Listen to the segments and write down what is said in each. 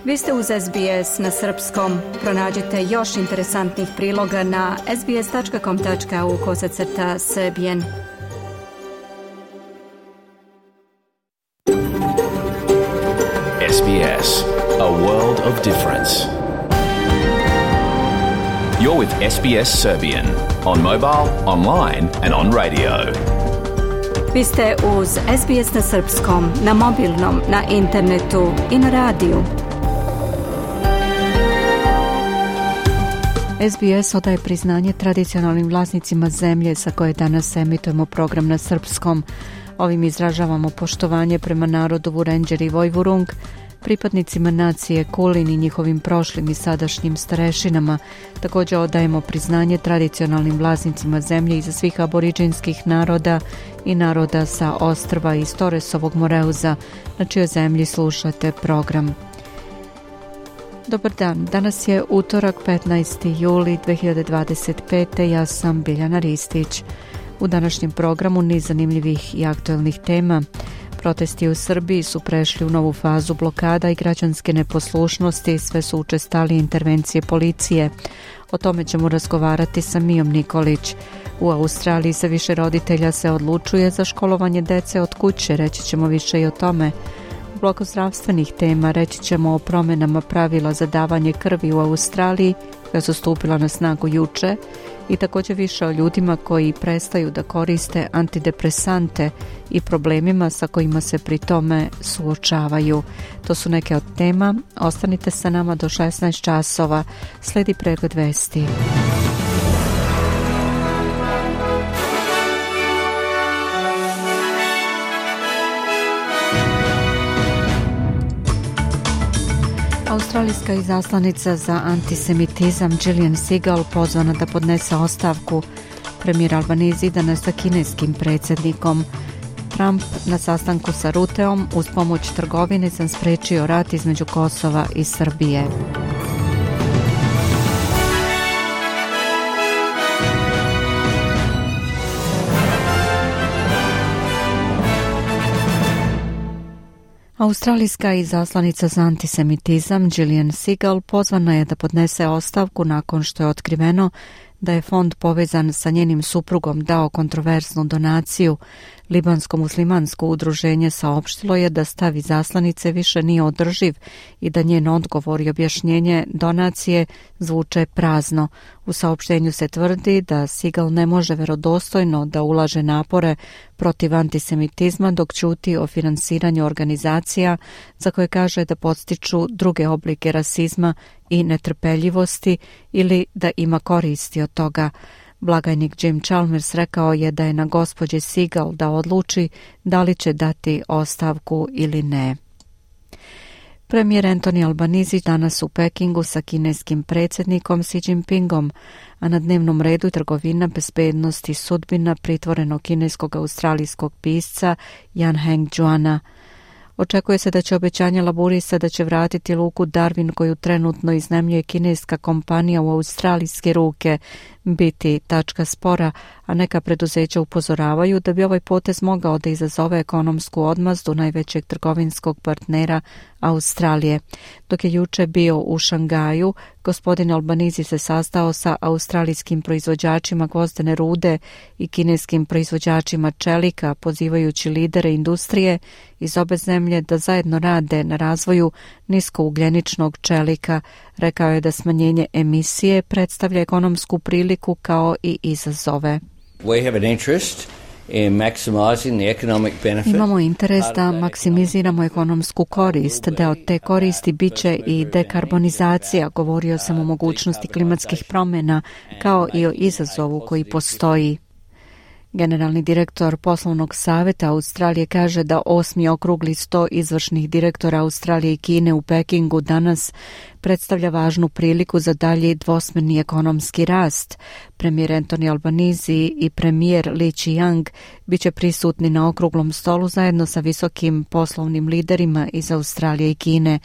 Vi ste uz SBS na srpskom. Pronađite još interesantnih priloga na sbs.com.au/srbijen. SBS, a world of difference. You're with SBS Serbian on mobile, online and on radio. Vi ste uz SBS na srpskom, na mobilnom, na internetu i na radiju. SBS odaje priznanje tradicionalnim vlasnicima zemlje sa koje danas emitujemo program na srpskom. Ovim izražavamo poštovanje prema narodu Vurenđer i Vojvurung, pripadnicima nacije Kulin i njihovim prošlim i sadašnjim starešinama. Također odajemo priznanje tradicionalnim vlasnicima zemlje iza svih aboriđinskih naroda i naroda sa ostrva iz Torresovog Moreuza, na čijoj zemlji slušate program. Dobar dan, danas je utorak 15. juli 2025. Ja sam Biljana Ristić. U današnjem programu niz zanimljivih i aktualnih tema. Protesti u Srbiji su prešli u novu fazu blokada i građanske neposlušnosti, sve su učestalije intervencije policije. O tome ćemo razgovarati sa Mijom Nikolić. U Australiji se više roditelja se odlučuje za školovanje dece od kuće, reći ćemo više i o tome. U bloku zdravstvenih tema reći ćemo o promjenama pravila za davanje krvi u Australiji, koja su stupila na snagu juče, i također više o ljudima koji prestaju da koriste antidepresante i problemima sa kojima se pri tome suočavaju. To su neke od tema. Ostanite sa nama do 16 časova. Sledi pregled vesti. Australijska izaslanica za antisemitizam Gillian Segal pozvana da podnese ostavku. Premijer Albanese danas sa kineskim predsjednikom. Trump na sastanku sa Ruteom uz pomoć trgovine sam spriječio rat između Kosova i Srbije. Australijska izaslanica za antisemitizam Gillian Segal pozvana je da podnese ostavku nakon što je otkriveno da je fond povezan sa njenim suprugom dao kontroverznu donaciju. Libansko muslimansko udruženje saopštilo je da stav izaslanice više nije održiv i da njen odgovor i objašnjenje donacije zvuče prazno. U saopštenju se tvrdi da Segal ne može vjerodostojno da ulaže napore protiv antisemitizma dok ćuti o finansiranju organizacija za koje kaže da podstiču druge oblike rasizma i netrpeljivosti ili da ima koristi od toga. Blagajnik Jim Chalmers rekao je da je na gospođi Segal da odluči da li će dati ostavku ili ne. Premijer Anthony Albanese danas u Pekingu sa kineskim predsjednikom Xi Jinpingom, a na dnevnom redu je trgovina, bezbednost i sudbina pritvorenog kineskog australijskog pisca Jan Heng Juana. Očekuje se da će obećanje laburista da će vratiti luku Darwin koju trenutno iznajmljuje kineska kompanija u australijske ruke biti tačka spora, a neka preduzeća upozoravaju da bi ovaj potez mogao da izazove ekonomsku odmazdu najvećeg trgovinskog partnera Australije. Dok je juče bio u Šangaju, gospodin Albanese se sastao sa australijskim proizvođačima gvozdene rude i kineskim proizvođačima čelika, pozivajući lidere industrije iz obe zemlje da zajedno rade na razvoju niskougljeničnog čelika. Rekao je da smanjenje emisije predstavlja ekonomsku priliku kao i izazove. We have an interest in maximizing the economic benefit. Imamo interes da maksimiziramo ekonomsku korist. Deo te koristi biće i dekarbonizacija. Govorio sam o mogućnosti klimatskih promjena kao i o izazovu koji postoji. Generalni direktor poslovnog savjeta Australije kaže da 8. okrugli 100 izvršnih direktora Australije i Kine u Pekingu danas predstavlja važnu priliku za dalji dvosmerni ekonomski rast. Premijer Anthony Albanese i premijer Li Qiang biće prisutni na okruglom stolu zajedno sa visokim poslovnim liderima iz Australije i Kine.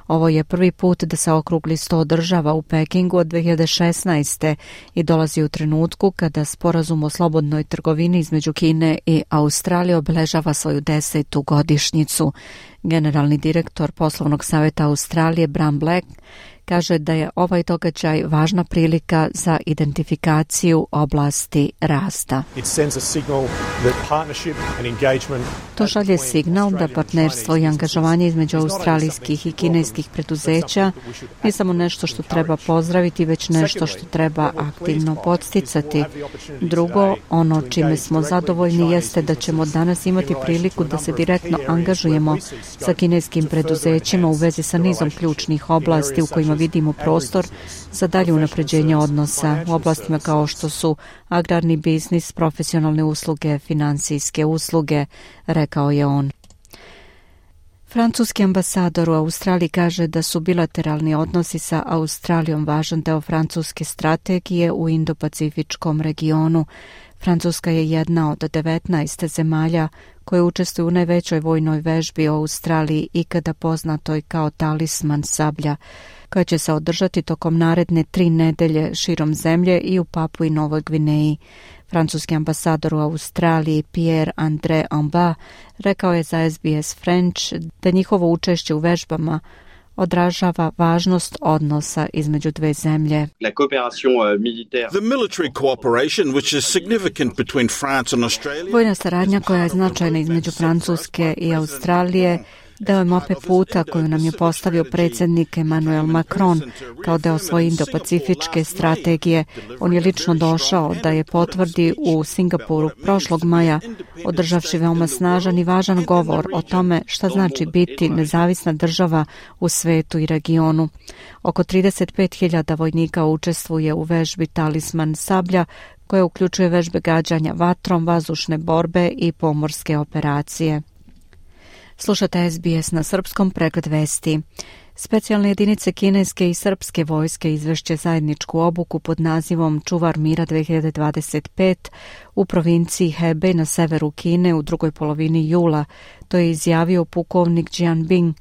Ovo je prvi put da se okrugli 100 održava u Pekingu od 2016. i dolazi u trenutku kada sporazum o slobodnoj trgovini između Kine i Australije obeležava svoju 10. godišnjicu. Generalni direktor poslovnog savjeta Australije Bram Black kaže da je ovaj događaj važna prilika za identifikaciju oblasti rasta. To šalje signal da partnerstvo i angažovanje između australijskih i kineskih preduzeća nije samo nešto što treba pozdraviti, već nešto što treba aktivno podsticati. Drugo, ono čime smo zadovoljni jeste da ćemo danas imati priliku da se direktno angažujemo sa kineskim preduzećima u vezi sa nizom ključnih oblasti u kojima vidimo prostor za dalje unapređenje odnosa u oblastima kao što su agrarni biznis, profesionalne usluge, financijske usluge, rekao je on. Francuski ambasador u Australiji kaže da su bilateralni odnosi sa Australijom važan deo francuske strategije u Indo-Pacifičkom regionu. Francuska je jedna od 19 zemalja koje učestvuju u najvećoj vojnoj vežbi u Australiji ikada poznatoj kao Talisman sablja, koja će se održati tokom naredne 3 nedelje širom zemlje i u Papui i Novoj Gvineji. Francuski ambasador u Australiji Pierre-André Amba rekao je za SBS French da njihovo učešće u vežbama odražava važnost odnosa između dve zemlje. The military cooperation which is significant between France and Australia. Vojna saradnja koja je značajna između Francuske i Australije deo je mape puta koju nam je postavio predsjednik Emmanuel Macron kao deo svoje Indo-Pacifičke strategije. On je lično došao da je potvrdi u Singapuru prošlog maja, održavši veoma snažan i važan govor o tome šta znači biti nezavisna država u svetu i regionu. Oko 35.000 vojnika učestvuje u vežbi Talisman sablja, koja uključuje vežbe gađanja vatrom, vazdušne borbe i pomorske operacije. Slušate SBS na srpskom, pregled vesti. Specijalne jedinice kineske i srpske vojske izvešće zajedničku obuku pod nazivom Čuvar mira 2025 u provinciji Hebei na severu Kine u drugoj polovini jula. To je izjavio pukovnik Jian Bing.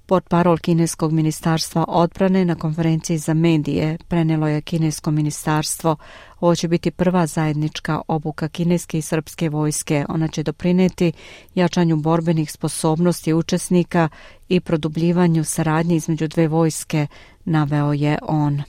Portparol kineskog ministarstva odbrane na konferenciji za medije prenelo je kinesko ministarstvo. Ovo će biti prva zajednička obuka kineske i srpske vojske. Ona će doprineti jačanju borbenih sposobnosti učesnika i produbljivanju saradnje između dve vojske, naveo je on.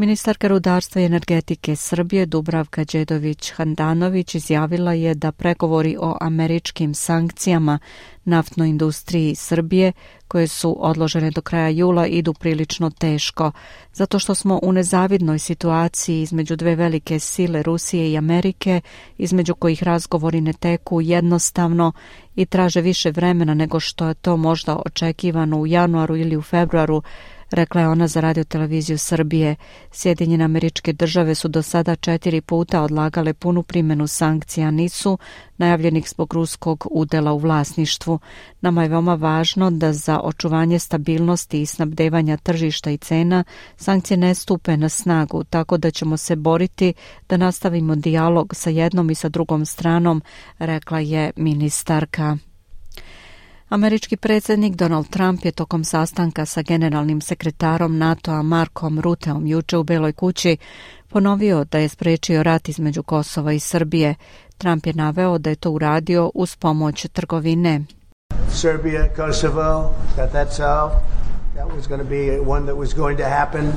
Ministarka rudarstva i energetike Srbije Dubravka Đedović-Handanović izjavila je da pregovori o američkim sankcijama naftnoj industriji Srbije, koje su odložene do kraja jula, idu prilično teško, zato što smo u nezavidnoj situaciji između dve velike sile Rusije i Amerike, između kojih razgovori ne teku jednostavno i traže više vremena nego što je to možda očekivano u januaru ili u februaru, rekla je ona za radioteleviziju Srbije. Sjedinjene Američke Države su do sada 4 puta odlagale punu primjenu sankcija NIS-u, najavljenih zbog ruskog udela u vlasništvu. Nama je veoma važno da za očuvanje stabilnosti i snabdevanja tržišta i cena sankcije ne stupe na snagu, tako da ćemo se boriti da nastavimo dijalog sa jednom i sa drugom stranom, rekla je ministarka. Američki predsjednik Donald Trump je tokom sastanka sa generalnim sekretarom NATO-a Markom Ruteom juče u Beloj kući ponovio da je sprečio rat između Kosova i Srbije. Trump je naveo da je to uradio uz pomoć trgovine. Serbia, Kosovo, that's all. That was going to be one that was going to happen.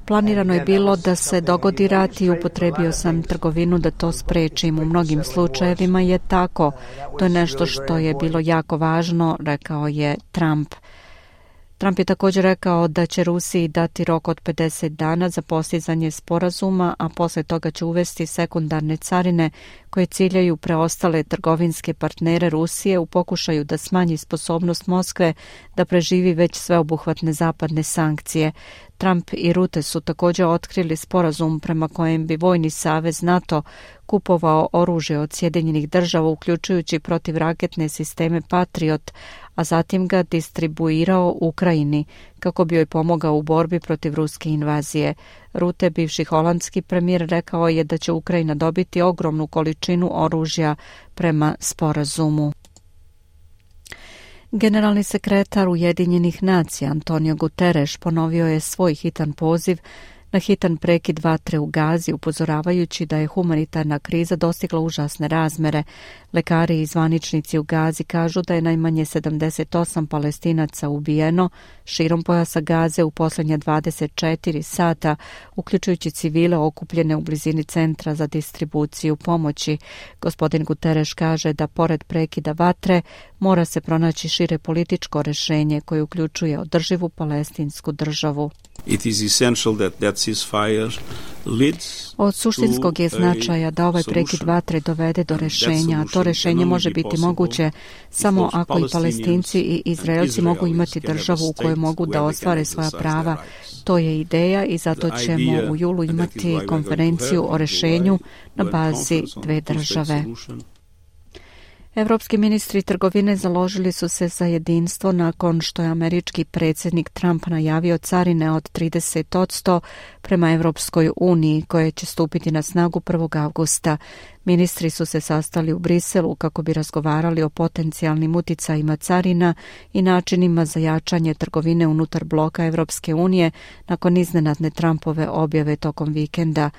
Planirano je bilo da se dogodi rat i upotrebio sam trgovinu da to sprečim. U mnogim slučajevima je tako. To je nešto što je bilo jako važno, rekao je Trump. Trump je također rekao da će Rusiji dati rok od 50 dana za postizanje sporazuma, a posle toga će uvesti sekundarne carine koje ciljaju preostale trgovinske partnere Rusije u pokušaju da smanji sposobnost Moskve da preživi već sveobuhvatne zapadne sankcije. Trump i Rute su također otkrili sporazum prema kojem bi vojni savez NATO kupovao oružje od Sjedinjenih Država, uključujući protivraketne sisteme Patriot, a zatim ga distribuirao Ukrajini kako bi joj pomogao u borbi protiv ruske invazije. Rute, bivši holandski premijer, rekao je da će Ukrajina dobiti ogromnu količinu oružja prema sporazumu. Generalni sekretar Ujedinjenih nacija Antonio Guterres ponovio je svoj hitan poziv na hitan prekid vatre u Gazi, upozoravajući da je humanitarna kriza dostigla užasne razmere. Lekari i zvaničnici u Gazi kažu da je najmanje 78 Palestinaca ubijeno širom pojasa Gaze u posljednja 24 sata, uključujući civile okupljene u blizini centra za distribuciju pomoći. Gospodin Guterres kaže da pored prekida vatre mora se pronaći šire političko rješenje koje uključuje održivu palestinsku državu. Od suštinskog je značaja da ovaj prekid vatre dovede do rješenja, a to rješenje može biti moguće samo ako i Palestinci i Izraelci mogu imati državu u kojoj mogu da ostvare svoja prava. To je ideja i zato ćemo u julu imati konferenciju o rješenju na bazi dve države. Evropski ministri trgovine založili su se za jedinstvo nakon što je američki predsjednik Trump najavio carine od 30% prema Evropskoj uniji koje će stupiti na snagu 1. avgusta. Ministri su se sastali u Briselu kako bi razgovarali o potencijalnim uticajima carina i načinima za jačanje trgovine unutar bloka Evropske unije nakon iznenadne Trumpove objave tokom vikenda.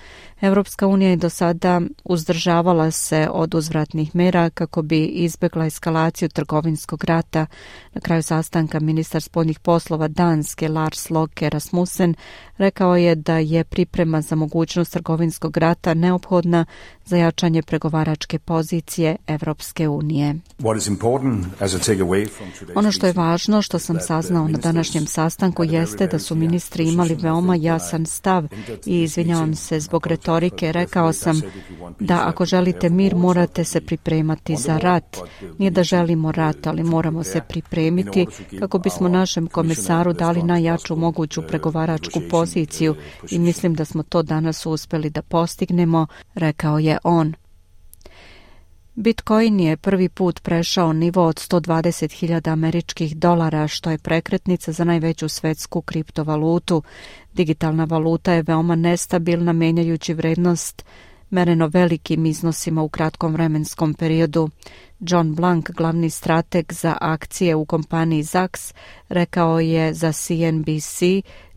Evropska unija je do sada uzdržavala se od uzvratnih mera kako bi izbjegla eskalaciju trgovinskog rata. Na kraju sastanka ministar spoljnih poslova Danske Lars Løkke Rasmussen rekao je da je priprema za mogućnost trgovinskog rata neophodna za jačanje pregovaračke pozicije Evropske unije. Ono što je važno, što sam saznao na današnjem sastanku, jeste da su ministri imali veoma jasan stav i izvinjavam se zbog retorike. Rekao sam da ako želite mir, morate se pripremati za rat. Nije da želimo rat, ali moramo se pripremiti kako bismo našem komisaru dali najjaču moguću pregovaračku poziciju i mislim da smo to danas uspjeli da postignemo, rekao je on. Bitcoin je prvi put prešao nivo od 120.000 američkih dolara, što je prekretnica za najveću svetsku kriptovalutu. Digitalna valuta je veoma nestabilna, menjajući vrednost mereno velikim iznosima u kratkom vremenskom periodu. John Blank, glavni strateg za akcije u kompaniji Zacks, rekao je za CNBC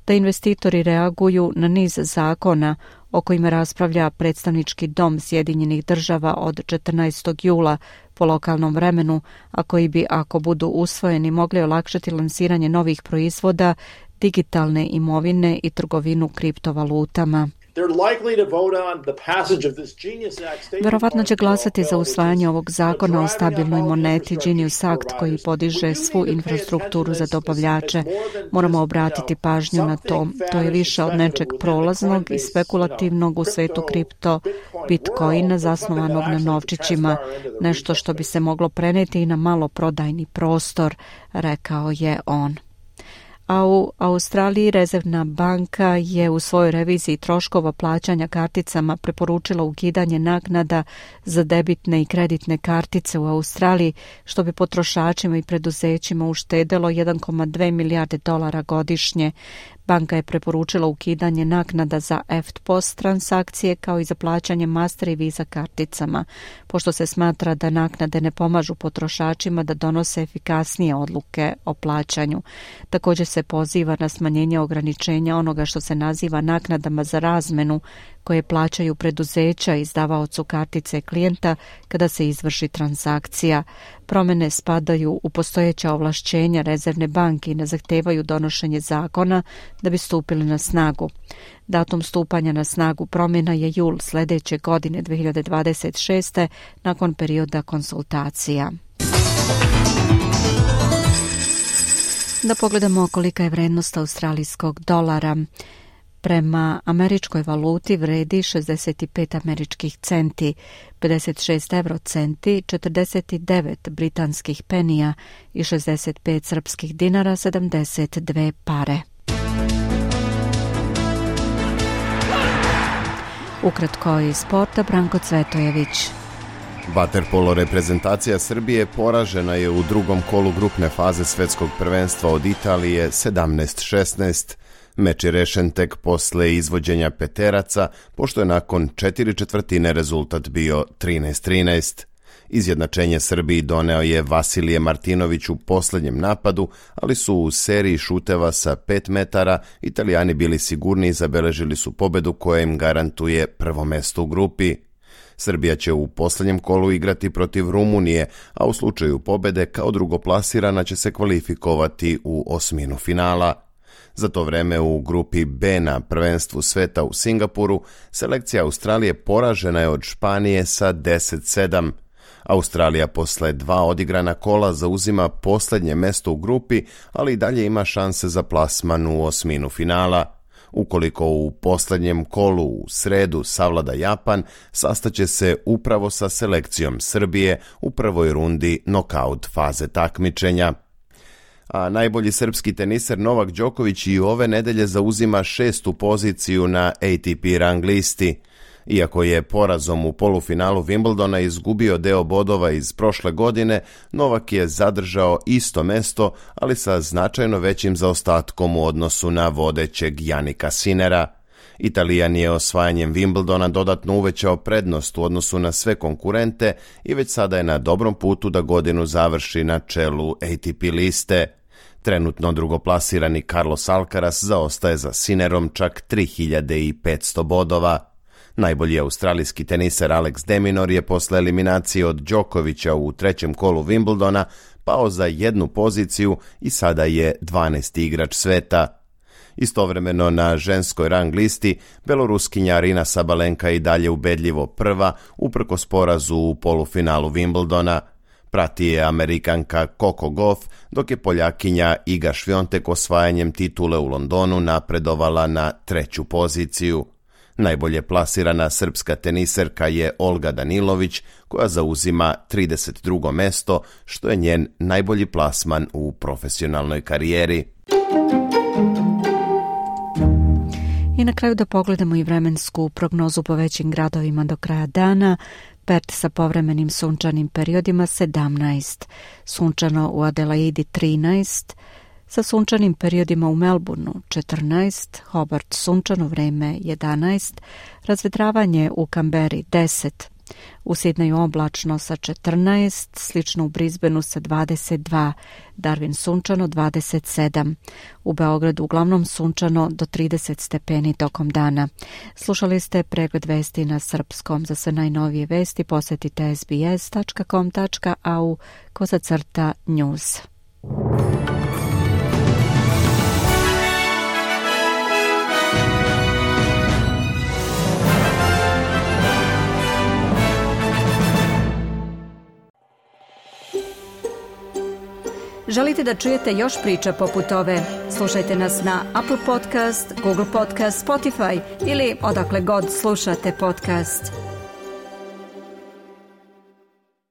da investitori reaguju na niz zakona o kojima raspravlja predstavnički dom Sjedinjenih država od 14. jula po lokalnom vremenu, a koji bi, ako budu usvojeni, mogli olakšati lansiranje novih proizvoda, digitalne imovine i trgovinu kriptovalutama. Verovatno će glasati za usvajanje ovog zakona o stabilnoj moneti Genius Act koji podiže svu infrastrukturu za dobavljače. Moramo obratiti pažnju na to. To je više od nečeg prolaznog i spekulativnog u svetu kripto Bitcoina zasnovanog na novčićima, nešto što bi se moglo preneti i na maloprodajni prostor, rekao je on. A u Australiji Rezervna banka je u svojoj reviziji troškova plaćanja karticama preporučila ukidanje naknada za debitne i kreditne kartice u Australiji, što bi potrošačima i preduzećima uštedelo 1,2 milijarde dolara godišnje. Banka je preporučila ukidanje naknada za EFTPOS transakcije kao i za plaćanje Master i Visa karticama, pošto se smatra da naknade ne pomažu potrošačima da donose efikasnije odluke o plaćanju. Također se poziva na smanjenje ograničenja onoga što se naziva naknadama za razmenu koje plaćaju preduzeća izdavaocu kartice klijenta kada se izvrši transakcija. Promjene spadaju u postojeća ovlašćenja Rezervne banke i ne zahtevaju donošenje zakona da bi stupili na snagu. Datum stupanja na snagu promjena je jul sljedeće godine 2026. nakon perioda konsultacija. Da pogledamo kolika je vrednost australijskog dolara. Prema američkoj valuti vredi 65 američkih centi, 56 eurocenti, 49 britanskih penija i 65 srpskih dinara, 72 pare. Ukratko iz sporta, Branko Cvetojević. Vaterpolo reprezentacija Srbije poražena je u drugom kolu grupne faze svetskog prvenstva od Italije 17-16. Meč je rešen tek posle izvođenja peteraca, pošto je nakon 4/4 rezultat bio 13-13. Izjednačenje Srbiji doneo je Vasilije Martinović u posljednjem napadu, ali su u seriji šuteva sa 5 metara Italijani bili sigurni i zabeležili su pobedu koja im garantuje prvo mesto u grupi. Srbija će u posljednjem kolu igrati protiv Rumunije, a u slučaju pobede kao drugoplasirana će se kvalifikovati u osminu finala. Za to vreme u grupi B na prvenstvu sveta u Singapuru selekcija Australije poražena je od Španije sa 10-7. Australija posle 2 odigrana kola zauzima posljednje mesto u grupi, ali i dalje ima šanse za plasman u osminu finala. Ukoliko u posljednjem kolu u sredu savlada Japan, sastaće se upravo sa selekcijom Srbije u prvoj rundi nokaut faze takmičenja. A najbolji srpski teniser Novak Đoković i ove nedelje zauzima 6. poziciju na ATP rang listi. Iako je porazom u polufinalu Wimbledona izgubio deo bodova iz prošle godine, Novak je zadržao isto mesto, ali sa značajno većim zaostatkom u odnosu na vodećeg Janika Sinera. Italijan je osvajanjem Wimbledona dodatno uvećao prednost u odnosu na sve konkurente i već sada je na dobrom putu da godinu završi na čelu ATP liste. Trenutno drugoplasirani Carlos Alcaraz zaostaje za Sinerom čak 3500 bodova. Najbolji australijski teniser Alex de Minaur je posle eliminacije od Đokovića u trećem kolu Wimbledona pao za 1 poziciju i sada je 12. igrač sveta. Istovremeno na ženskoj rang listi beloruskinja Arina Sabalenka i dalje ubedljivo prva uprkos porazu u polufinalu Wimbledona. Prati je Amerikanka Coco Gauff, dok je Poljakinja Iga Świątek osvajanjem titule u Londonu napredovala na 3. poziciju. Najbolje plasirana srpska teniserka je Olga Danilović, koja zauzima 32. mesto, što je njen najbolji plasman u profesionalnoj karijeri. I na kraju da pogledamo i vremensku prognozu po većim gradovima do kraja dana. Perth sa povremenim sunčanim periodima 17, sunčano u Adelaidi 13, sa sunčanim periodima u Melbourneu 14, Hobart sunčano vreme 11, razvedravanje u Kamberi 10, u Sidneju oblačno sa 14, slično u Brisbaneu sa 22, Darwin sunčano 27, u Beogradu uglavnom sunčano do 30 stepeni tokom dana. Slušali ste pregled vesti na srpskom. Za sve najnovije vesti posetite sbs.com.au/news. Želite da čujete još priča poput ove? Slušajte nas na Apple Podcast, Google Podcast, Spotify ili odakle god slušate podcast.